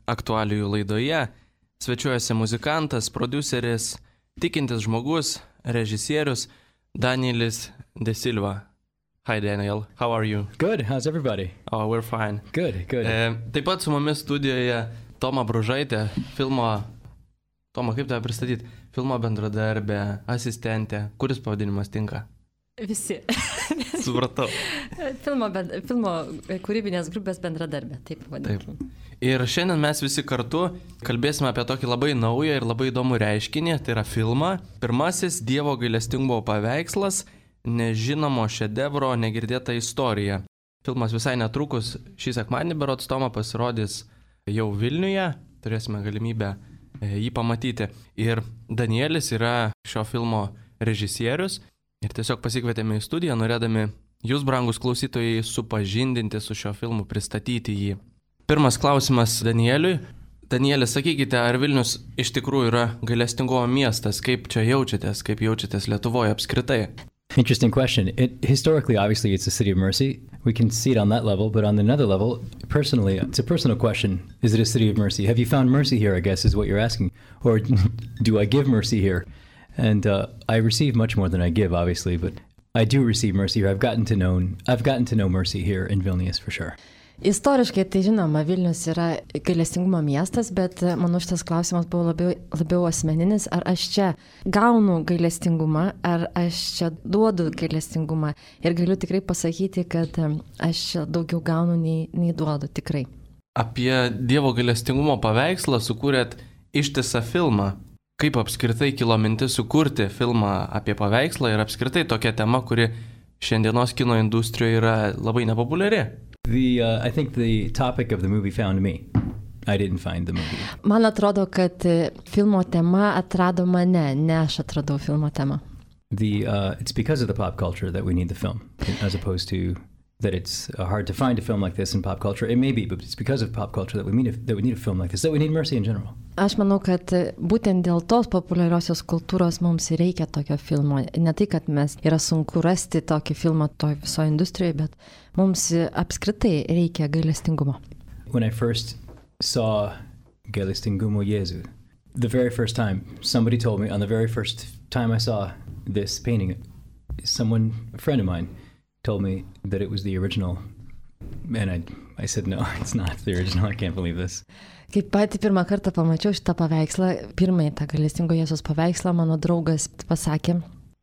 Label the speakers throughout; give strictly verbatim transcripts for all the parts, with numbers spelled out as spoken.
Speaker 1: Aktualijų laidoje svečiuojasi muzikantas, prodiuseris, tikintis žmogus, režisierius Danielis De Silva. Hi Daniel, how are you?
Speaker 2: Good, how's everybody?
Speaker 1: Oh, we're fine.
Speaker 2: Good, good.
Speaker 1: E, taip pat su mumis studijoje Toma Bružaitė, filmo... Toma, kaip tave pristatyti? Filmo bendradarbė, asistentė. Kuris pavadinimas tinka?
Speaker 3: Visi.
Speaker 1: Supratau.
Speaker 3: filmo, bend, filmo kūrybinės grupės bendradarbė, taip vadinkim.
Speaker 1: Taip. Ir šiandien mes visi kartu kalbėsime apie tokį labai naują ir labai įdomų reiškinį, tai yra filmą. Pirmasis Dievo gailestingumo paveikslas, nežinomo šedevro, negirdėta istorija. Filmas visai netrukus šį sekmadienį berods Toma pasirodys jau Vilniuje, turėsime galimybę jį pamatyti. Ir Danielis yra šio filmo režisierius. Ir tiesiog pasikvietėme į studiją, norėdami jūs, brangus klausytojai, supažindinti su šio filmu, pristatyti jį. Pirmas klausimas Danieliui. Danielis, sakykite, ar Vilnius iš tikrųjų yra gailestingumo miestas? Kaip čia jaučiatės? Kaip jaučiatės Lietuvoje apskritai?
Speaker 2: Interesting question. It, historically, obviously, it's a city of mercy. We can see it on that level, but on another level, personally, it's a personal question. Is it a city of mercy? Have you found mercy here, I guess, is what you're asking. Or do I give mercy here? And uh, I receive much more than I give, obviously, but I do receive mercy here. I've gotten to know, I've gotten to know mercy here in Vilnius for sure.
Speaker 3: Istoriškai, tai žinoma, Vilnius yra gailestingumo miestas, bet manau šitas klausimas buvo labiau, labiau asmeninis. Ar aš čia gaunu gailestingumą, ar aš čia duodu gailestingumą. Ir galiu tikrai pasakyti, kad aš čia daugiau gaunu nei, nei duodu, tikrai.
Speaker 1: Apie Dievo gailestingumo paveikslą sukūrėt ištisą filmą. Kaip apskritai kilo mintis sukurti filmą apie paveikslą ir apskritai tokia tema, kuri šiandienos kino industrijoje yra labai nepopuliari?
Speaker 2: The, uh, I think the topic of the movie found me. I didn't find the movie.
Speaker 3: Man atrodo, kad filmo tema atrado mane, ne aš atradau filmo temą.
Speaker 2: The, uh, it's because of the pop culture that we need the film, as opposed to that it's uh, hard to find a film like this in pop culture. It may be, but it's because of pop culture that we need a, that we need a film like this, that we need mercy in general.
Speaker 3: Aš manau, kad būtent dėl tos populiariosios kultūros mums reikia tokio filmo. Ne tai, kad mes yra sunku rasti tokį filmą toj visoje industrijoje, bet mums apskritai reikia gailestingumo.
Speaker 2: When I first saw Gailestingumo Jėzų, the very first time, somebody told me, on the very first time I saw this painting, someone, a friend of mine, told me that it was the original, and I, I said, no, it's not the original, I can't believe this.
Speaker 3: Kai patį pirmą kartą pamačiau šitą paveikslą, pirmąjį tą gailestingo Jėzaus paveikslą, mano draugas pasakė,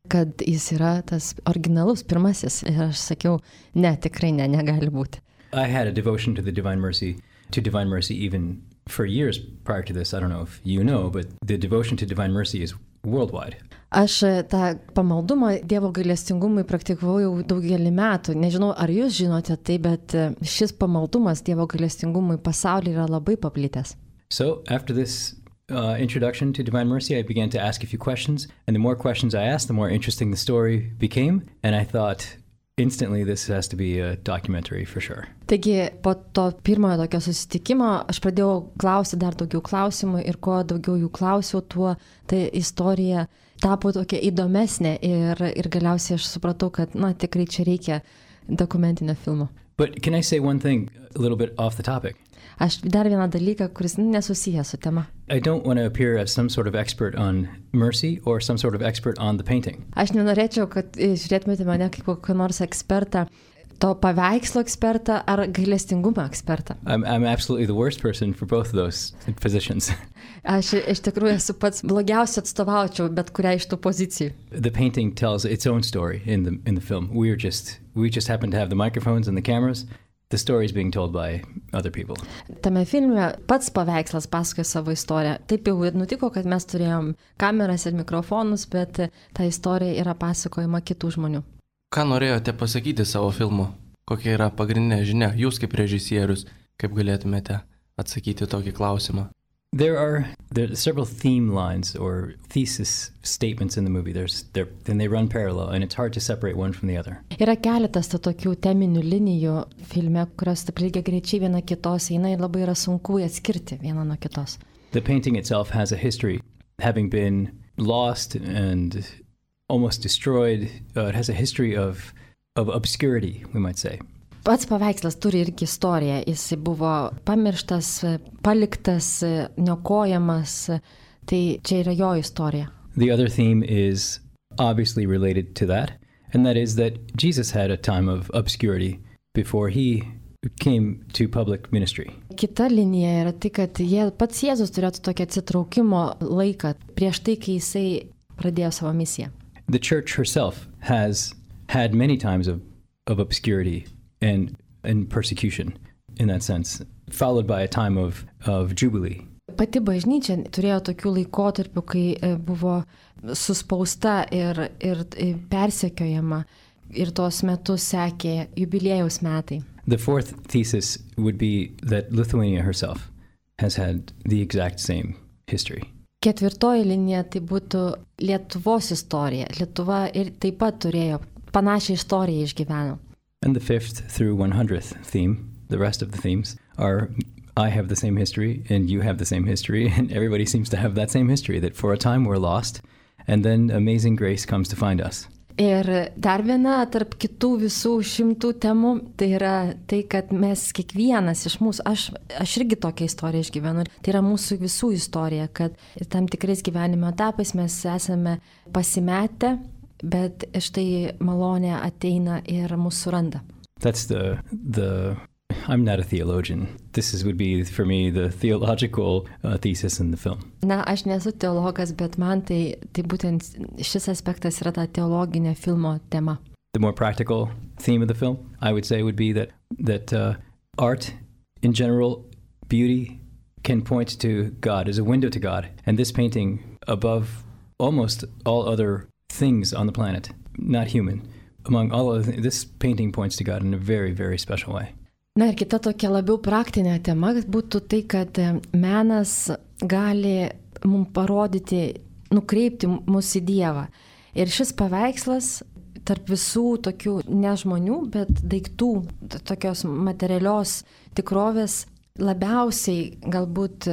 Speaker 3: kad jis yra tas originalus, pirmasis. Ir aš sakiau, ne, tikrai ne, negali būti.
Speaker 2: I had a devotion to the Divine Mercy, to Divine Mercy even for years prior to this. I don't know if you know, but the devotion to Divine Mercy is worldwide.
Speaker 3: Aš tą pamaldumą Dievo gailestingumui praktikavau jau daugelį metų. Nežinau, ar jūs žinote tai, bet šis pamaldumas Dievo gailestingumui pasaulyje yra labai paplitęs.
Speaker 2: So, after this uh, introduction to Divine Mercy, I began to ask a few questions, and the more questions I asked, the more interesting the story became, and I thought instantly this has to be a documentary for sure.
Speaker 3: Taigi, po to pirmojo tokio susitikimo aš pradėjau klausyti dar daugiau klausimų ir kuo daugiau jų klausiau, tuo ta istorija tapo tokia įdomesnė ir, ir galiausiai aš supratau, kad na, tikrai čia reikia dokumentinio filmo.
Speaker 2: But can I say one thing a little bit off the topic?
Speaker 3: Aš dar vieną dalyką, kuris nesusijęs su tema.
Speaker 2: I don't want to appear as some sort of expert on mercy or some sort of expert on the painting.
Speaker 3: Aš nenorėčiau, kad žiūrėtumėte mane kaip kokį nors ekspertą, to paveikslo ekspertą ar gailestingumo ekspertą.
Speaker 2: I'm, I'm absolutely the worst person for both of those positions.
Speaker 3: Aš iš tikrųjų esu pats blogiausiai atstovaučiau bet kurią iš tų pozicijų.
Speaker 2: The painting tells its own story in the, in the film. We're just, we just happen to have the microphones and the cameras. The story is being told by other people.
Speaker 3: Tame filme pats paveikslas pasakoja savo istoriją. Taip jau ir nutiko, kad mes turėjom kameras ir mikrofonus, bet ta istorija yra pasakojama kitų žmonių.
Speaker 1: Ką norėjote pasakyti savo filmu? Kokia yra pagrindinė žinia? Jūs kaip režisierius, kaip galėtumėte atsakyti tokį klausimą?
Speaker 2: There are there are several theme lines or thesis statements in the movie. There's there and they run parallel, and it's hard to separate one from the other.
Speaker 3: Yra keletas to tokių teminių linijų filme, kurios taip lygiagrečiai viena kitos eina ir labai yra sunku atskirti vieną nuo kitos.
Speaker 2: The painting itself has a history, having been lost and almost destroyed. Uh, it has a history of of obscurity, we might say.
Speaker 3: Pats paveikslas turi irgi istoriją. Jis buvo pamirštas, paliktas, niokojamas. Tai čia yra jo istorija.
Speaker 2: The other theme is obviously related to that, and that is that Jesus had a time of obscurity before he came to public ministry.
Speaker 3: Kita linija yra tai, kad jie, pats Jėzus turėtų tokį atsitraukimo laiką prieš tai, kai jisai pradėjo savo misiją.
Speaker 2: The church herself has had many times of, of obscurity and, and persecution in that sense, followed by a time of, of jubilee.
Speaker 3: Pati bažnyčia turėjo tokių laikotarpių, kai buvo suspausta ir, ir persekiojama ir tos metus sekė jubiliejaus metai.
Speaker 2: The fourth thesis would be that Lithuania herself has had the exact same history.
Speaker 3: Ketvirtoji linija tai būtų Lietuvos istorija. Lietuva ir taip pat turėjo panašią istoriją išgyveno.
Speaker 2: And the fifth through one hundredth theme, the rest of the themes, are I have the same history and you have the same history and everybody seems to have that same history, that for a time we're lost and then amazing grace comes to find us.
Speaker 3: Ir dar viena tarp kitų visų šimtų temų, tai yra tai, kad mes kiekvienas iš mūsų, aš, aš irgi tokią istoriją išgyvenu, tai yra mūsų visų istorija, kad tam tikrais gyvenimo etapais mes esame pasimetę, bet štai malonė ateina ir mūsų suranda.
Speaker 2: That's the, the, I'm not a theologian. This is, would be for me the theological uh, thesis in the film.
Speaker 3: Na, aš nesu teologas, bet man tai, tai būtent šis aspektas yra ta teologinė filmo tema.
Speaker 2: The more practical theme of the film, I would say, would be that, that uh, art in general, beauty, can point to God, as a window to God. And this painting, above almost all other things on the planet, not human, among all of this painting points to God in a very, very special way.
Speaker 3: Na ir kita tokia labiau praktinė tema būtų tai, kad menas gali mums parodyti, nukreipti mus į Dievą. Ir šis paveikslas tarp visų tokių ne žmonių, bet daiktų, tokios materialios tikrovės labiausiai galbūt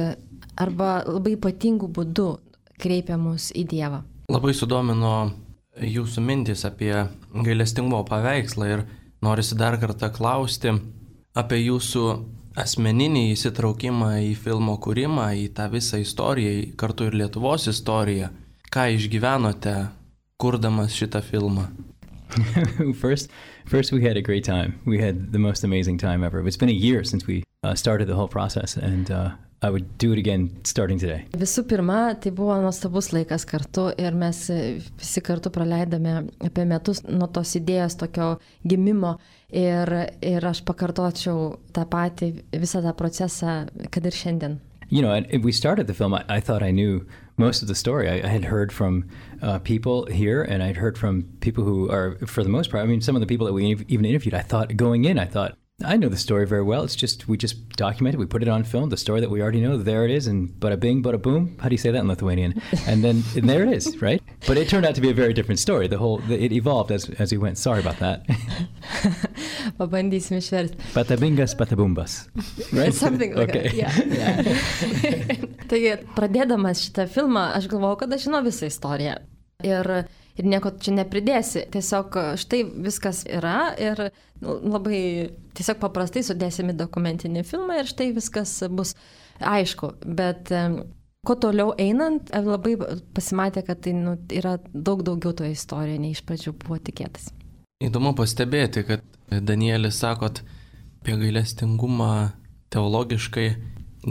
Speaker 3: arba labai ypatingų būdų kreipia mus į Dievą.
Speaker 1: Labai sudomino jūsų mintis apie gailestingumo paveikslą ir norisi dar kartą klausti apie jūsų asmeninį įsitraukimą į filmo kūrimą, į tą visą istoriją, kartu ir Lietuvos istoriją. Ką išgyvenote, kurdamas šitą filmą?
Speaker 2: first, first we had a great time. We had the most amazing time ever. It's been a year since we uh, started the whole process, and uh, I would do it again starting today.
Speaker 3: Visų pirma, tai buvo nuostabus laikas kartu ir mes visi kartu praleidome apie metus nuo tos idėjos tokio gimimo ir, ir aš pakartočiau tą patį visą tą procesą, kad ir šiandien.
Speaker 2: You know, if we started the film, I, I thought I knew most of the story. I, I had heard from uh, people here, and I'd heard from people who are, for the most part, I mean, some of the people that we even interviewed, I thought, going in, I thought, I know the story very well. It's just, we just document it, we put it on film, the story that we already know, there it is, and bada bing, bada boom. How do you say that in Lithuanian? And then and there it is, right? But it turned out to be a very different story. The whole, the, it evolved as, as we went. Sorry about that.
Speaker 3: Pabandysim išversti.
Speaker 2: Patabingas, patabumbas. Right?
Speaker 3: Something like
Speaker 2: okay.
Speaker 3: that, yeah. yeah. Taigi, pradėdamas šitą filmą, aš galvojau, kad aš žinau visą istoriją. Ir, ir nieko čia nepridėsi. Tiesiog štai viskas yra ir labai tiesiog paprastai sudėsime dokumentinį filmą ir štai viskas bus aišku. Bet kuo toliau einant, labai pasimatė, kad tai nu, yra daug daugiau toje istorijoje, nei iš pradžių buvo tikėtas.
Speaker 1: Įdomu pastebėti, kad Danielis sakot apie gailestingumą teologiškai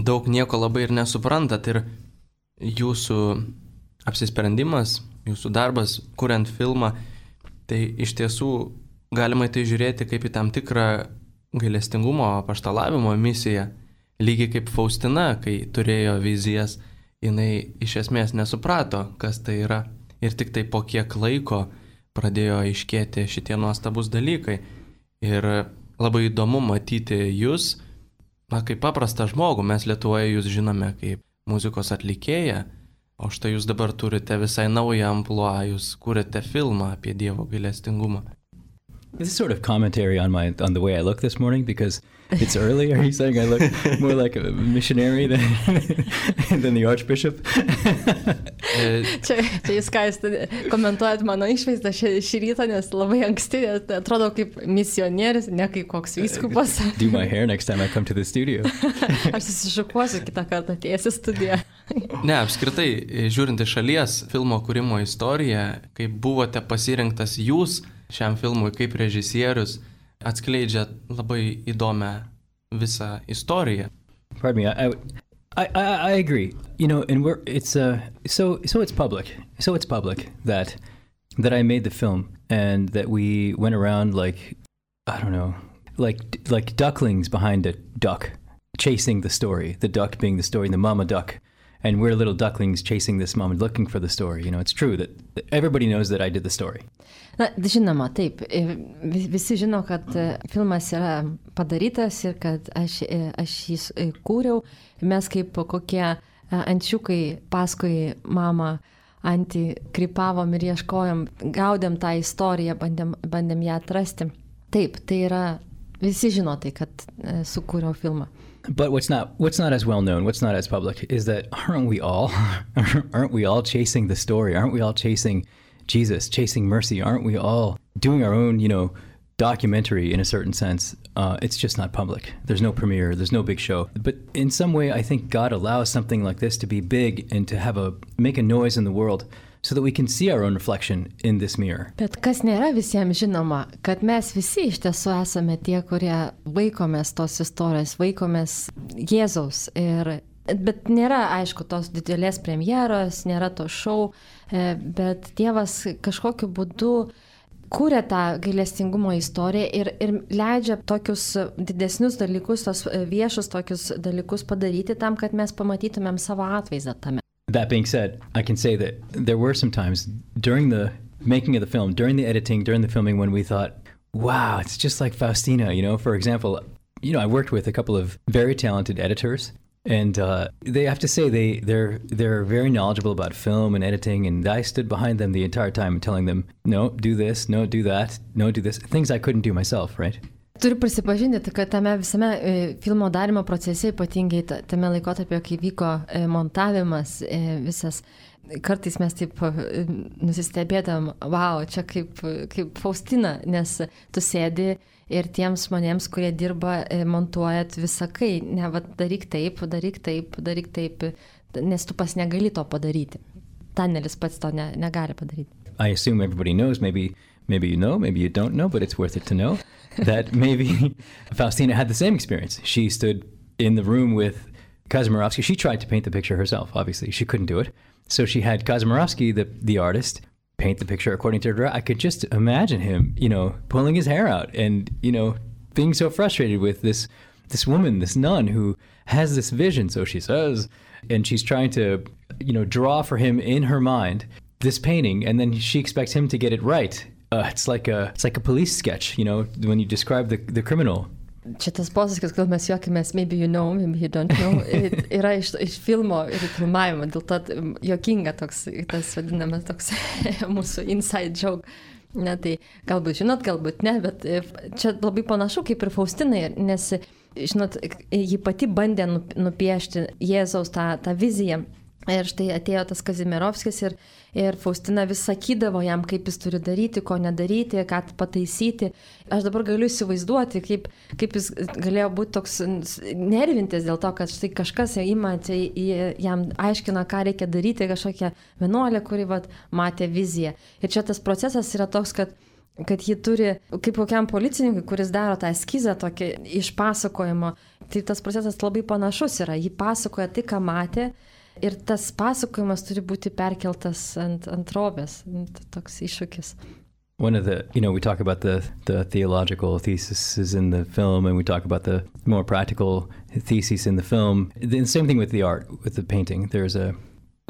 Speaker 1: daug nieko labai ir nesuprantat ir jūsų apsisprendimas, jūsų darbas, kuriant filmą, tai iš tiesų galima tai žiūrėti kaip į tam tikrą gailestingumo apaštalavimo misiją, lygiai kaip Faustina, kai turėjo vizijas, jinai iš esmės nesuprato, kas tai yra ir tik tai po kiek laiko pradėjo aiškėti šitie nuostabus dalykai. Ir labai įdomu matyti jūs, na, kaip paprastą žmogų, mes Lietuvoje jūs žinome kaip muzikos atlikėją, o štai jūs dabar turite visai naują ampluą, jūs kūrėte filmą apie Dievo gailestingumą.
Speaker 2: This is sort of commentary on my on the way I look this morning because it's early. Are you saying I look more like a missionary than than the archbishop?
Speaker 3: Čia, čia jūs ką, jūs komentuojat mano išvaizdą šį, šį rytą, nes labai anksti, atrodo kaip misionierius, ne kaip koks vyskupas.
Speaker 2: Do my hair next time I come to the studio.
Speaker 3: Aš susišukuosiu kitą kartą atėjęs į studiją.
Speaker 1: Ne, apskritai, žiūrint iš šalies filmo kūrimo istoriją, kaip buvote pasirinktas jūs šiam filmui kaip režisierius, atskleidžia labai įdomią visą istoriją.
Speaker 2: Pardon me, I, I, I, I agree. You know, and we're it's uh so so it's public. So it's public that that I made the film and that we went around like I don't know, like like ducklings behind a duck, chasing the story. The duck being the story, the mama duck, and we're little ducklings chasing this mama, looking for the story. You know, it's true that everybody knows that I did the story.
Speaker 3: Na, žinoma, taip. Visi žino, kad filmas yra padarytas ir kad aš, aš jį kūriau. Mes kaip kokie ančiukai paskui mamą antį krypavom ir ieškojom, gaudėm tą istoriją, bandėm, bandėm ją atrasti. Taip, tai yra, visi žino tai, kad sukūriau filmą.
Speaker 2: But what's not what's not as well known, what's not as public, is that aren't we all, aren't we all chasing the story? Aren't we all chasing Jesus, chasing mercy? Aren't we all doing our own, you know, documentary in a certain sense? Uh, it's just not public. There's no premiere. There's no big show. But in some way, I think God allows something like this to be big and to have a make a noise in the world so that we can see our own reflection in this mirror.
Speaker 3: Bet kas nėra visiems žinoma, kad mes visi iš tiesų esame tie, kurie vaikomės tos istorijos, vaikomės Jėzaus. Ir, bet nėra, aišku, tos didelės premjeros, nėra to šou, bet Dievas kažkokiu būdu kūrė tą gailestingumo istoriją ir, ir leidžia tokius didesnius dalykus, tos viešus tokius dalykus padaryti tam, kad mes pamatytumėm savo atvaizdą tame.
Speaker 2: That being said, I can say that there were some times during the making of the film, during the editing, during the filming, when we thought, wow, it's just like Faustina, you know? For example, you know, I worked with a couple of very talented editors, and uh, they have to say they, they're, they're very knowledgeable about film and editing, and I stood behind them the entire time telling them, no, do this, no, do that, no, do this, things I couldn't do myself, right?
Speaker 3: Turiu prisipažinti, kad tame visame filmo darimo procese, ypatingai tame laikotarpio, kai vyko montavimas visas, kartais mes taip nusistebėdam, wow, čia kaip, kaip Faustina, nes tu sėdi ir tiems žmonėms, kurie dirba, montuojat visakai, ne, va, daryk taip, daryk taip, daryk taip, nes tu pas negali to padaryti. Tanelis pats to ne, negali padaryti.
Speaker 2: I assume everybody knows, maybe maybe you know, maybe you don't know, but it's worth it to know that maybe Faustina had the same experience. She stood in the room with Kazimirowski. She tried to paint the picture herself, obviously. She couldn't do it. So she had Kazimirowski, the, the artist, paint the picture according to her. I could just imagine him, you know, pulling his hair out and, you know, being so frustrated with this this woman, this nun who has this vision, so she says, and she's trying to, you know, draw for him in her mind this painting, and then she expects him to get it right. Uh, it's like a it's like a police sketch, you know, when you describe the the criminal.
Speaker 3: Čia tas posakis, kad mes juokimės, maybe you know, maybe you don't know, yra iš, iš filmo ir filmavimo, dėl to juokinga toks, tas vadinamas toks mūsų inside joke. Ne, tai galbūt žinot, galbūt ne, bet čia labai panašu kaip ir Faustinai, nes, žinot, ji pati bandė nupiešti Jėzaus tą, tą viziją. Ir štai atėjo tas Kazimirovskis ir, ir Faustina vis sakydavo jam, kaip jis turi daryti, ko nedaryti, ką pataisyti. Aš dabar galiu įsivaizduoti, kaip, kaip jis galėjo būti toks nervintis dėl to, kad štai kažkas ima, tai jam aiškina, ką reikia daryti, kažkokia vienuolė, kuri vat, matė viziją. Ir čia tas procesas yra toks, kad kad ji turi, kaip kokiam policininkui, kuris daro tą eskizą tokį iš pasakojimo, tai tas procesas labai panašus yra. Ji pasakoja tai, ką matė, ir tas pasakojimas turi būti perkeltas ant, ant robės, toks iššūkis.
Speaker 2: One of the, you know, we talk about the, the theological theses in the film, and we talk about the more practical theses in the film. The same thing with the art, with the painting. There's a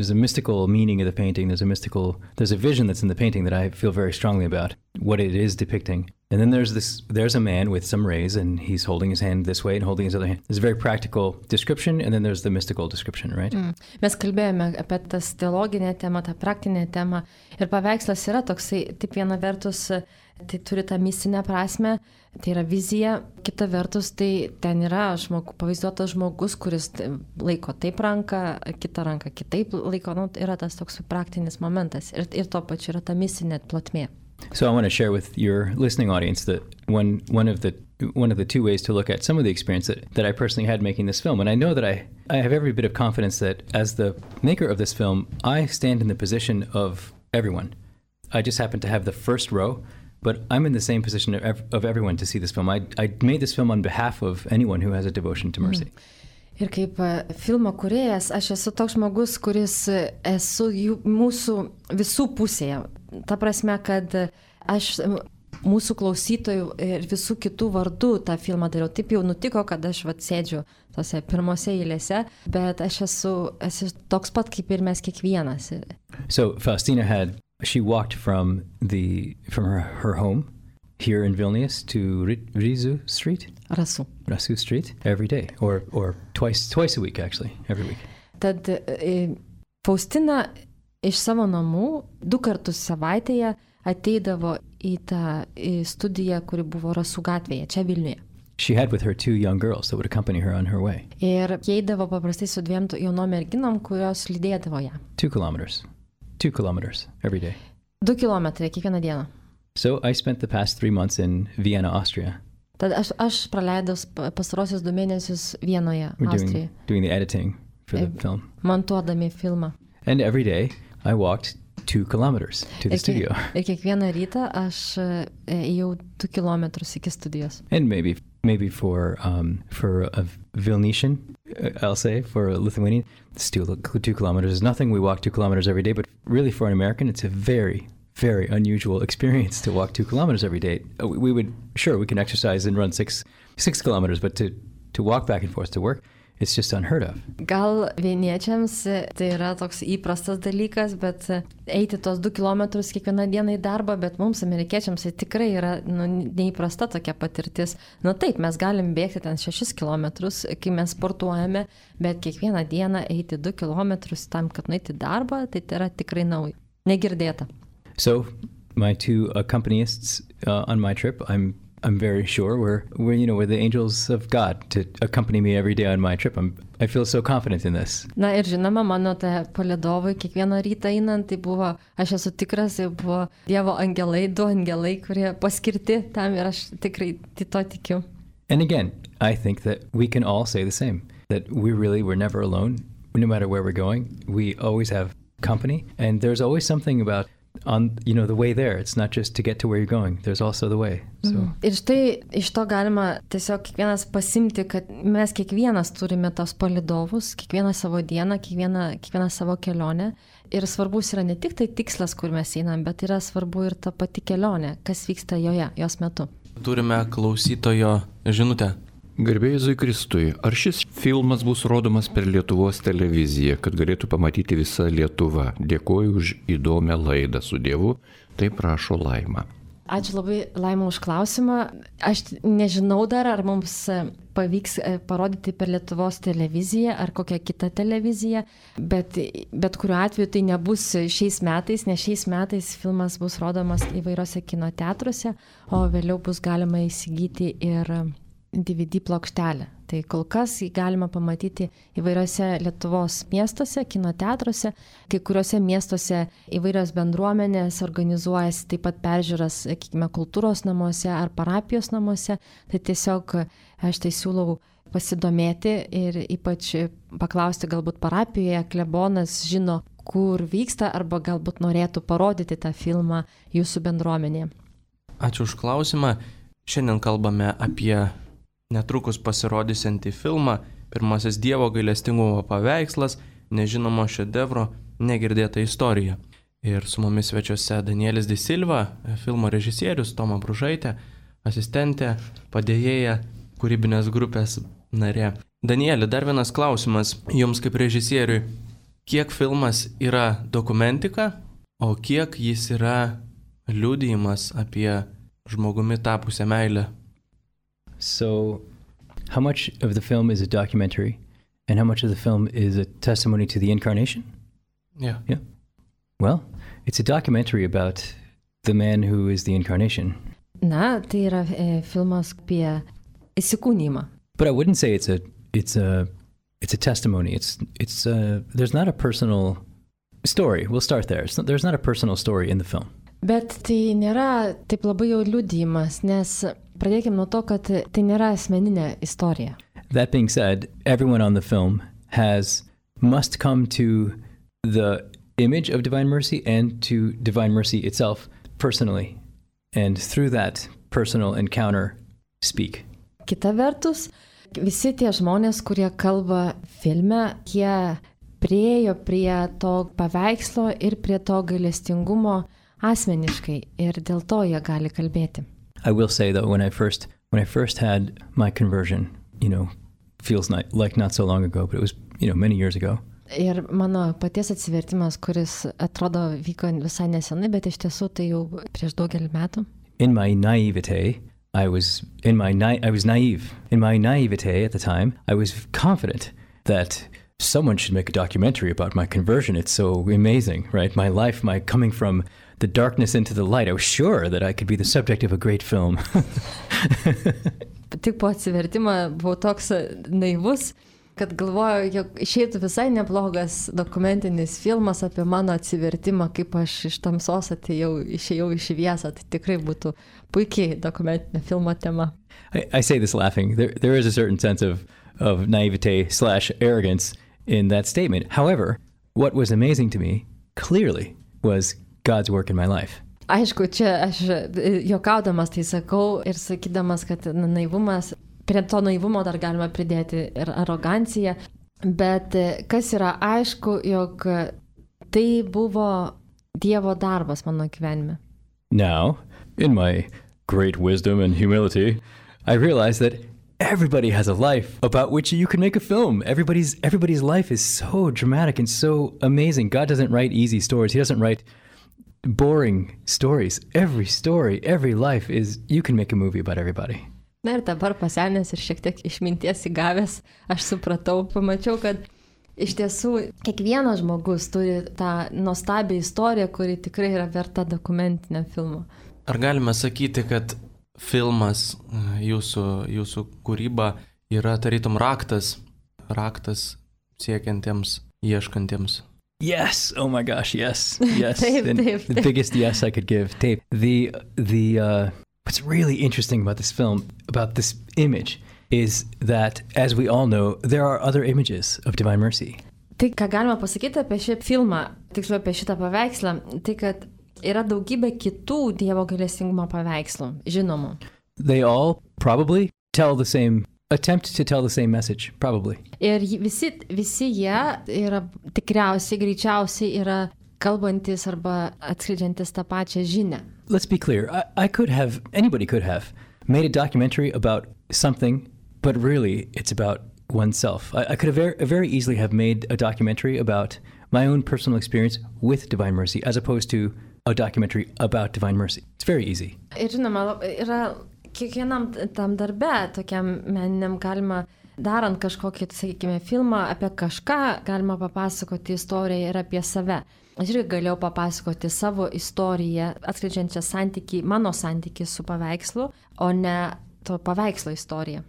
Speaker 2: There's a mystical meaning of the painting. There's a mystical, there's a vision that's in the painting that I feel very strongly about, what it is depicting. And then there's this, there's a man with some rays, and he's holding his hand this way and holding his other hand. There's a very practical description, and then there's the mystical description, right?
Speaker 3: Mm. Mes kalbėjome apie tas teologinę temą, tą praktinę temą. Ir paveikslas yra toksai, taip viena vertus, tai turi tą mistinę prasme, tai yra vizija. Kita vertus, tai ten yra žmogu, pavaizduotas žmogus, kuris laiko taip ranką, kitą ranką kitaip laiko, nu, yra tas toks praktinis momentas ir, ir to pačiu yra ta mistinė plotmė.
Speaker 2: So I want to share with your listening audience that one one of the one of the two ways to look at some of the experience that, that I personally had making this film. And I know that I, I have every bit of confidence that as the maker of this film, I stand in the position of everyone. I just happen to have the first row, but I'm in the same position of, ev- of everyone to see this film. I, I made this film on behalf of anyone who has a devotion to mercy.
Speaker 3: Mm. Ir kaip filmo kūrėjas, aš esu toks žmogus, kuris esu jų, mūsų visų pusėje. Ta prasme, kad aš mūsų klausytojų ir visų kitų vardų tą filmą dariau. Taip jau nutiko, kad aš vat sėdžiu tose pirmose eilėse, bet aš esu, esu toks pat kaip ir mes kiekvienas.
Speaker 2: So Faustina had, she walked from the from her, her home here in Vilnius to Rizu Street?
Speaker 3: Rasų.
Speaker 2: Rasų Street every day, or, or twice, twice a week actually, every week.
Speaker 3: Tad e, Faustina iš savo namų du kartus savaitėje ateidavo į tą į studiją, kuri buvo Rasų gatvėje, čia Vilniuje.
Speaker 2: She had with her two young girls that would accompany her on her way.
Speaker 3: Ir jie eidavo paprastai su dviem jaunom merginom, kurios lydėdavo ją.
Speaker 2: Two kilometers. Two kilometers every day.
Speaker 3: Du kilometrai kiekvieną dieną.
Speaker 2: So I spent the past three months in Vienna, Austria.
Speaker 3: Tad aš, aš praleidau pastarosius du mėnesius Vienoje,
Speaker 2: We're
Speaker 3: Austrijoje.
Speaker 2: doing, doing the editing for the film.
Speaker 3: Montuodami filmą.
Speaker 2: And every day I walked two kilometers to the
Speaker 3: ir,
Speaker 2: studio.
Speaker 3: Ir kiekvieną rytą aš ėjau du kilometrus iki studijos.
Speaker 2: And maybe maybe for um, for a Vilnitian, I'll say, for a Lithuanian, still two kilometers is nothing. We walk two kilometers every day, but really for an American, it's a very, very unusual experience to walk two kilometers every day. We would, sure, we can exercise and run six six kilometers, but to, to walk back and forth to work, it's just unheard of.
Speaker 3: Gal vieniečiams tai yra toks įprastas dalykas, bet eiti tos du kilometrus kiekvieną dieną į darbą, bet mums, amerikiečiams, tai tikrai yra nu, neįprasta tokia patirtis. Na taip, mes galim bėgti ten šešis kilometrus, kai mes sportuojame, bet kiekvieną dieną eiti du kilometrus tam, kad nueiti į darbą, tai tai yra tikrai nauja, negirdėta.
Speaker 2: So, my two accompanists uh, on my trip, I'm I'm very sure we're, we're, you know, we're the angels of God to accompany me every day on my trip. I'm, I feel so confident in this.
Speaker 3: Na ir žinoma, mano ta palydovai kiekvieną rytą einant, tai buvo, aš esu tikras, tai buvo Dievo angelai, du angelai, kurie paskirti tam ir aš tikrai to tikiu.
Speaker 2: And again, I think that we can all say the same, that we really were never alone, no matter where we're going. We always have company, and there's always something about on, you know, the way there. It's not just to get to where you're going. There's also the way. So.
Speaker 3: Mm. Ir štai iš to galima tiesiog kiekvienas pasimti, kad mes kiekvienas turime tos palydovus, kiekvieną savo dieną, kiekvieną, kiekvieną savo kelionę. Ir svarbus yra ne tik tai tikslas, kur mes einam, bet yra svarbu ir ta pati kelionė, kas vyksta joje, jos metu.
Speaker 1: Turime klausytojo žinutę.
Speaker 4: Garbė Jėzui Kristui, ar šis filmas bus rodomas per Lietuvos televiziją, kad galėtų pamatyti visa Lietuva? Dėkoju už įdomią laidą su Dievu, taip prašo Laima.
Speaker 3: Ačiū labai, Laima, už klausimą. Aš nežinau dar, ar mums pavyks parodyti per Lietuvos televiziją ar kokią kitą televiziją, bet, bet kuriuo atveju tai nebus šiais metais, nes šiais metais filmas bus rodomas įvairiose kino teatruose, o vėliau bus galima įsigyti ir D V D plokštelę. Tai kol kas jį galima pamatyti įvairiose Lietuvos miestuose, kino teatruose, kai kuriuose miestuose įvairios bendruomenės organizuojasi taip pat peržiūras, sakykime, kultūros namuose ar parapijos namuose. Tai tiesiog aš tai siūlau pasidomėti ir ypač paklausti galbūt parapijoje, klebonas žino, kur vyksta arba galbūt norėtų parodyti tą filmą jūsų bendruomenėje.
Speaker 1: Ačiū už klausimą. Šiandien kalbame apie netrukus pasirodysiantį filmą Pirmasis Dievo gailestingumo paveikslas, nežinomo šedevro, negirdėta istorija. Ir su mumis svečiuose Danielis Di Silva, filmo režisierius, Toma Bružaitė, asistentė, padėjėja, kūrybinės grupės narė. Danieli, dar vienas klausimas jums kaip režisieriui. Kiek filmas yra dokumentika, o kiek jis yra liudijimas apie žmogumi tapusią meilę?
Speaker 2: So, how much of the film is a documentary, and how much of the film is a testimony to the incarnation?
Speaker 1: Yeah.
Speaker 2: Yeah. Well, it's a documentary about the man who is the incarnation.
Speaker 3: Na, tai yra e, filmas apie įsikūnymą.
Speaker 2: But I wouldn't say it's a it's a it's a testimony. It's it's uh there's not a personal story. We'll start there. It's not, there's not a personal story in the film.
Speaker 3: Bet tai nėra taip labai jau liudijimas, nes pradėkime nuo to, kad tai nėra asmeninė istorija.
Speaker 2: That being said, everyone on the film has must come to the image of Divine Mercy and to Divine Mercy itself personally, and through that personal encounter speak.
Speaker 3: Kita vertus, visi tie žmonės, kurie kalba filme, jie priėjo prie to paveikslo ir prie to gailestingumo asmeniškai ir dėl to jie gali kalbėti.
Speaker 2: I will say though, when I first when I first had my conversion, you know, feels not, like not so long ago, but it was, you know, many years ago.
Speaker 3: Ir mano paties atsivertimas, kuris atrodo vyko visai nesenai, bet iš tiesų tai jau prieš daugelį metų.
Speaker 2: In my naivete, I was in my na- I was naive. In my naivete at the time, I was confident that someone should make a documentary about my conversion. It's so amazing, right? My life, my coming from the darkness into the light. I was sure that I could be the subject of a great film.
Speaker 3: Tik po atsivertimą buvau toks naivus, kad galvoju, jog išeitų visai neblogas dokumentinis filmas apie mano atsivertimą, kaip aš iš tamsos atėjau, išėjau į šviesą. Tai tikrai būtų puikiai dokumentinio filmo tema.
Speaker 2: I, I say this laughing. There, there is a certain sense of, of naivete slash arrogance in that statement. However, what was amazing to me, clearly, was God's work in my life.
Speaker 3: Aišku, čia aš juokaudamas tai sakau ir sakydamas, kad naivumas, prie to naivumo dar galima pridėti ir aroganciją, bet kas yra aišku, jog tai buvo Dievo darbas mano gyvenime.
Speaker 2: Now, in my great wisdom and humility, I realize that everybody has a life about which you can make a film. Everybody's everybody's life is so dramatic and so amazing. God doesn't write easy stories. He doesn't write boring stories. Every story, every life is, you can make a movie about everybody.
Speaker 3: Na ir dabar pasenęs ir šiek tiek išminties įgavęs, aš supratau, pamačiau, kad iš tiesų kiekvienas žmogus turi tą nuostabią istoriją, kuri tikrai yra verta dokumentinio filmo.
Speaker 1: Ar galime sakyti, kad filmas, jūsų, jūsų kūryba yra tarytum raktas, raktas siekiantiems, ieškantiems?
Speaker 2: Yes. Oh my gosh. Yes. Yes.
Speaker 3: Taip,
Speaker 2: And
Speaker 3: taip,
Speaker 2: the
Speaker 3: taip.
Speaker 2: biggest yes I could give. Tape. The the uh, what's really interesting about this film, about this image, is that, as we all know, there are other images of Divine Mercy.
Speaker 3: Tai, ką galima pasakyti apie šį filmą, tiksliau apie šitą paveikslą, tai kad yra daugybė kitų Dievo gailestingumo paveikslų, žinomų.
Speaker 2: They all probably tell the same, attempt to tell the same message, probably.
Speaker 3: Ir ji- visi, visi jie yra tikriausiai, greičiausiai yra kalbantis arba atskleidžiantis tą pačią žinią.
Speaker 2: Let's be clear. I, I could have, anybody could have made a documentary about something, but really it's about oneself. I, I could have very, very easily have made a documentary about my own personal experience with Divine Mercy, as opposed to a documentary about Divine Mercy. It's very easy.
Speaker 3: Ir žinoma, lab- yra kiekvienam tam darbe, tokiam meniniam galima, darant kažkokį, sakykime, filmą apie kažką, galima papasakoti istoriją ir apie save. Aš irgi galėjau papasakoti savo istoriją, atskleidžiančią santykį, mano santykį su paveikslu, o ne to paveikslo istoriją.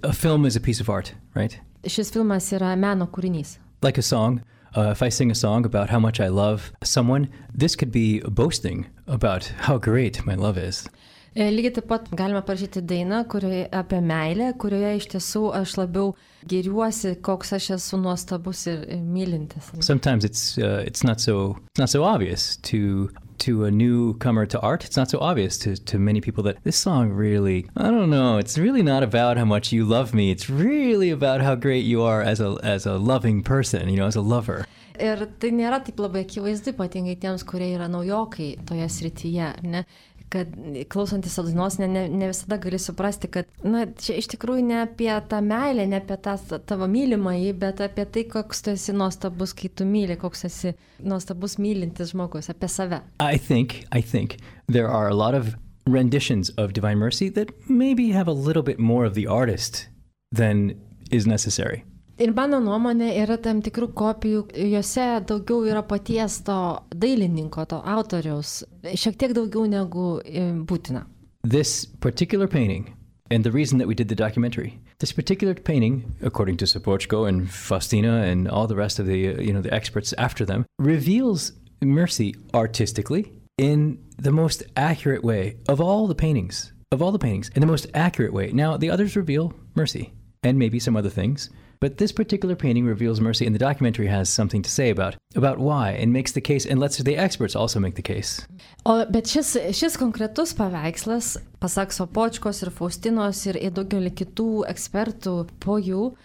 Speaker 2: A film is a piece of art, right?
Speaker 3: Šis filmas yra meno kūrinys.
Speaker 2: Like a song. Uh, if I sing a song about how much I love someone, this could be boasting about how great my love is.
Speaker 3: E, Lygiai taip pat galima parašyti dainą kurioje, apie meilę, kurioje iš tiesų aš labiau gėriuosi, koks aš esu nuostabus ir, ir mylintis.
Speaker 2: Sometimes it's uh, it's not so it's not so obvious to to a newcomer to art. It's not so obvious to, to many people that this song really, I don't know, it's really not about how much you love me. It's really about how great you are as a as a loving person, you know, as a lover.
Speaker 3: Ir tai nėra taip labai akivaizdu, ypatingai tiems, kurie yra naujokai toje srityje, ar ne? Kad klausantis dainos ne, ne, ne visada gali suprasti, kad na, čia iš tikrųjų ne apie tą meilę, ne apie tą tavo mylimąjį, bet apie tai, koks tu esi nuostabus, kai tu myli, koks esi nuostabus mylintis žmogus, apie save.
Speaker 2: I think I think there are a lot of renditions of Divine Mercy that maybe have a little bit more of the artist than is necessary.
Speaker 3: Ir mano nuomonė yra tam tikrų kopijų, juose daugiau yra paties to dailininko, to autoriaus, šiek tiek daugiau negu e, būtina.
Speaker 2: this particular painting, and the reason that we did the documentary, this particular painting, according to Sopoćko and Faustina and all the rest of the, uh, you know, the experts after them, reveals mercy artistically in the most accurate way of all the paintings, of all the paintings, in the most accurate way. Now, the others reveal mercy and maybe some other things, but this particular painting reveals mercy, and the documentary has something to say about, about why, and makes the case, and lets the experts also make the case.
Speaker 3: O, bet šis, šis konkretus paveikslas, pasak Sopoćkos ir Faustinos ir, ir daugelį kitų ekspertų po jų,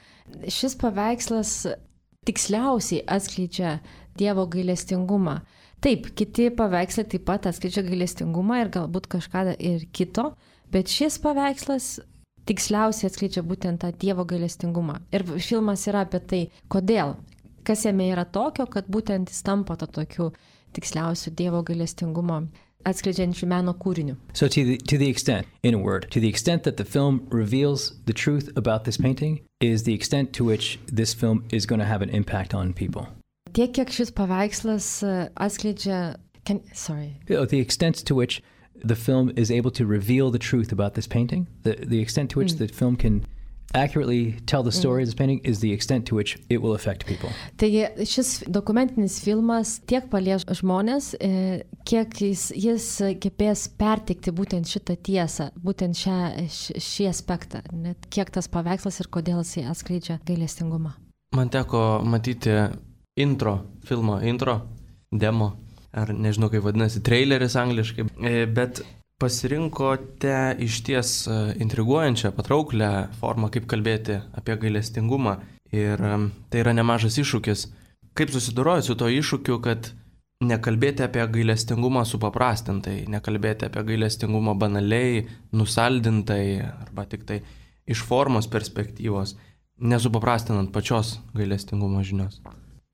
Speaker 3: šis paveikslas tiksliausiai atskleidžia Dievo gailestingumą. Taip, kiti paveikslai taip pat atskleidžia gailestingumą ir galbūt kažką ir kito, bet šis paveikslas tiksliausiai atskleidžia būtent tą Dievo gailestingumą. Ir filmas yra apie tai, kodėl, kas jame yra tokio, kad būtent jis tampa to tokiu tiksliausiu Dievo gailestingumo atskleidžiančiu meno kūriniu.
Speaker 2: So to the, to the extent, in a word, to the extent that the film reveals the truth about this painting is the extent to which this film is going to have an impact on people.
Speaker 3: Tiek, kiek šis paveikslas atskleidžia... Can, sorry.
Speaker 2: The extent to which the film is able to reveal the truth about this painting, the, the extent to which mm. the film can accurately tell the story mm. of this painting is the extent to which it will affect people.
Speaker 3: Taigi šis dokumentinis filmas tiek palies žmonės, kiek jis, jis gebės perteikti būtent šitą tiesą, būtent šią, šį aspektą, net kiek tas paveikslas ir kodėl jis atskleidžia gailestingumą.
Speaker 1: Man teko matyti intro, filmo intro, demo, ar nežinau kaip vadinasi, traileris angliškai, bet pasirinkote išties intriguojančią, patrauklią formą, kaip kalbėti apie gailestingumą. Ir tai yra nemažas iššūkis. Kaip susidorojate su to iššūkiu, kad nekalbėti apie gailestingumą supaprastintai, nekalbėti apie gailestingumą banaliai, nusaldintai, arba tik tai iš formos perspektyvos, nesupaprastinant pačios gailestingumo žinios.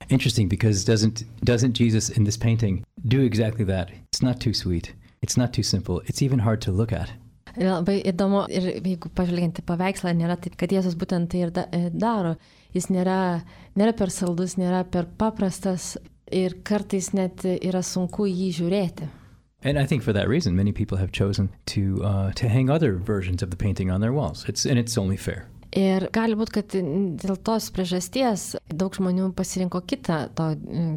Speaker 2: Interesting, because doesn't doesn't Jesus in this painting do exactly that? It's not too sweet. It's not too simple. It's even hard to look at.
Speaker 3: Labai įdomu, ir jeigu pažvelgiant į paveikslą, nėra taip, kad Jėzus būtent tai ir da, daro. Jis nėra, nėra per saldus, nėra per paprastas ir kartais net yra sunku jį žiūrėti.
Speaker 2: And I think for that reason, many people have chosen to uh, to hang other versions of the painting on their walls. It's and it's only fair.
Speaker 3: Ir gali būti, kad dėl tos priežasties daug žmonių pasirinko kitą to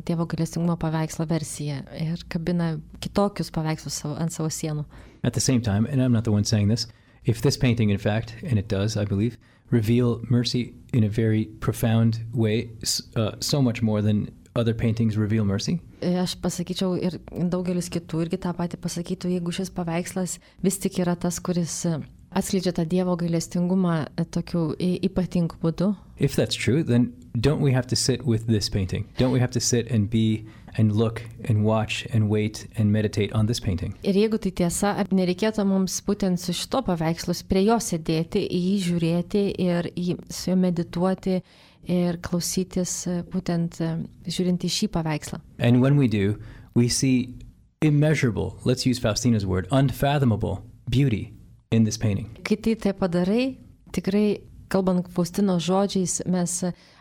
Speaker 3: Dievo gailestingumo paveikslo versiją ir kabina kitokius paveikslus ant savo sienų.
Speaker 2: At the same time, and I'm not the one saying this, if this painting in fact, and it does, I believe, reveal mercy in a very profound way, uh, so much more than other paintings reveal mercy.
Speaker 3: Aš pasakyčiau ir daugelis kitų irgi tą patį pasakytų, jeigu šis paveikslas vis tik yra tas, kuris atskleidžia tą Dievo gailestingumą tokiu ypatingu būdu.
Speaker 2: If that's true, then don't we have to sit with this painting? Don't we have to sit and be and look and watch and wait and meditate on this painting?
Speaker 3: Ir jeigu tai tiesa, ar nereikėtų mums būtent su šito paveikslus prie jo sėdėti, į jį žiūrėti ir į su juo medituoti ir klausytis būtent žiūrint į šį paveikslą.
Speaker 2: And when we do, we see immeasurable, let's use Faustina's word, unfathomable beauty in this painting.
Speaker 3: Kai tai tai padarai, tikrai, kalbant Faustinos žodžiais, mes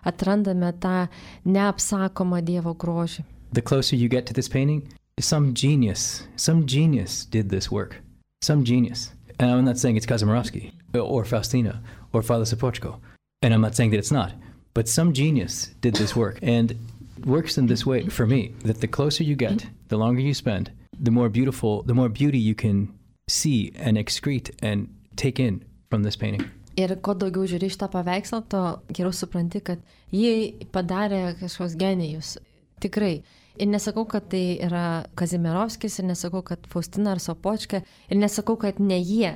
Speaker 3: atrandame tą neapsakomą Dievo grožį.
Speaker 2: The closer you get to this painting, some genius, some genius did this work. Some genius. And I'm not saying it's Kazimirowski or Faustina or Father Sopoćko. And I'm not saying that it's not. But some genius did this work. And works in this way, for me, that the closer you get, the longer you spend, the more beautiful, the more beauty you can see and excrete and take in from this painting.
Speaker 3: Ir kuo daugiau žiūri šitą paveikslą, to geriau supranti, kad jį padarė kažkoks genijus. Tikrai. Ir nesakau, kad tai yra Kazimirovskis, ir nesakau, kad Faustina ar Sopoćka, ir nesakau, kad ne jie,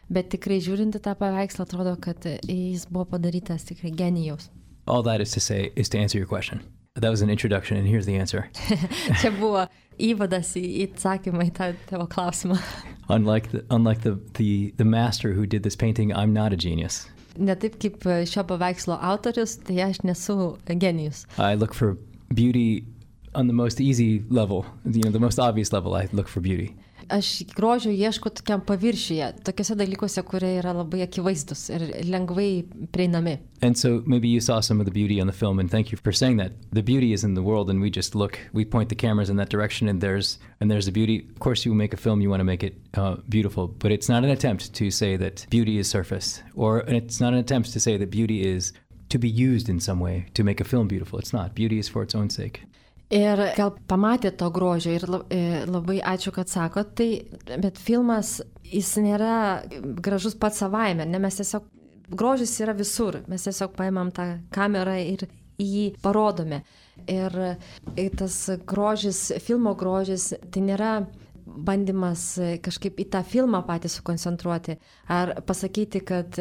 Speaker 3: bet tikrai žiūrinti tą paveikslą atrodo, kad jis buvo padarytas tikrai genijus.
Speaker 2: All that is to say is to answer your question. That was an introduction, and here's the answer.
Speaker 3: Čia buvo įvadas į atsakymą į tą tavo klausimą.
Speaker 2: Unlike the unlike the, the the master who did this painting, I'm not a genius.
Speaker 3: Ne taip kaip šio paveikslo autorius, tai aš nesu genijus.
Speaker 2: I look for beauty on the most easy level, you know, the most obvious level. I look for beauty.
Speaker 3: Aš grožio ieškau tokiam paviršiuje, tokiuose dalykuose, kurie yra labai akivaizdus ir lengvai prieinami.
Speaker 2: And so maybe you saw some of the beauty on the film, and thank you for saying that. The beauty is in the world, and we just look, we point the cameras in that direction, and there's and there's the beauty. Of course, you make a film, you want to make it uh, beautiful, but it's not an attempt to say that beauty is surface, or it's not an attempt to say that beauty is to be used in some way to make a film beautiful. It's not. Beauty is for its own sake.
Speaker 3: Ir gal pamatė to grožio ir labai ačiū, kad sakot, tai, bet filmas, jis nėra gražus pats savaime, ne, mes tiesiog, grožis yra visur, mes tiesiog paimam tą kamerą ir jį parodome. Ir tas grožis, filmo grožis, tai nėra bandymas kažkaip į tą filmą patį sukoncentruoti, ar pasakyti, kad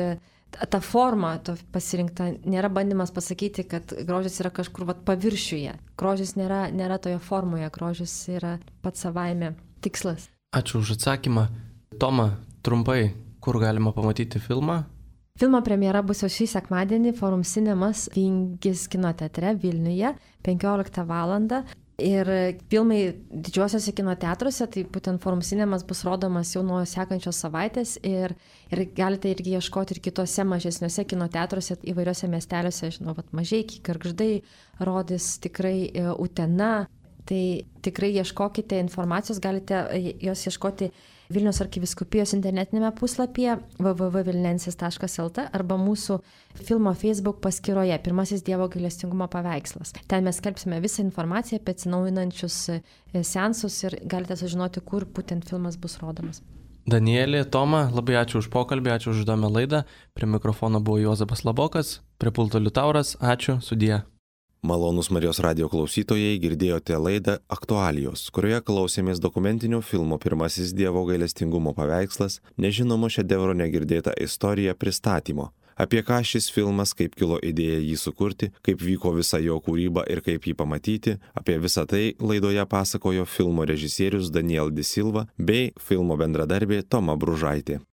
Speaker 3: ta forma to pasirinkta nėra bandymas pasakyti, kad grožis yra kažkur vat, paviršiuje. Grožis nėra, nėra toje formoje, grožis yra pats savaime tikslas.
Speaker 1: Ačiū už atsakymą. Toma, trumpai, kur galima pamatyti filmą?
Speaker 3: Filmo premjera bus jau šį sekmadienį Forum Cinemas Vingis kino teatre Vilniuje penkioliktą valandą. Ir filmai didžiuosiuose kino teatruose, tai būtent Forum Cinemas bus rodomas jau nuo sekančios savaitės ir, ir galite irgi ieškoti ir kitose mažesniuose kino teatruose, įvairiuose miesteliuose, žinau, vat, Mažeikiai, Gargždai, rodys tikrai Utena. Tai tikrai ieškokite informacijos, galite jos ieškoti Vilniaus arkivyskupijos internetinėme puslapyje w w w taškas vilnensis taškas l t arba mūsų filmo Facebook paskyroje Pirmasis Dievo gailestingumo paveikslas. Ten mes skelbsime visą informaciją apie atsinaujinančius seansus ir galite sužinoti, kur būtent filmas bus rodomas.
Speaker 1: Danielė, Toma, labai ačiū už pokalbį, ačiū už įdomią laidą. Prie mikrofono buvo Juozapas Labokas, prie pulto Liutauras. Ačiū, sudie.
Speaker 5: Malonus Marijos radijo klausytojai, girdėjote laidą Aktualijos, kurioje klausėmės dokumentinio filmo Pirmasis Dievo gailestingumo paveikslas, nežinomo šedevro negirdėta istorija pristatymo. Apie ką šis filmas, kaip kilo idėja jį sukurti, kaip vyko visa jo kūryba ir kaip jį pamatyti, apie visą tai laidoje pasakojo filmo režisierius Daniel Di Silva bei filmo bendradarbė Toma Bružaitė.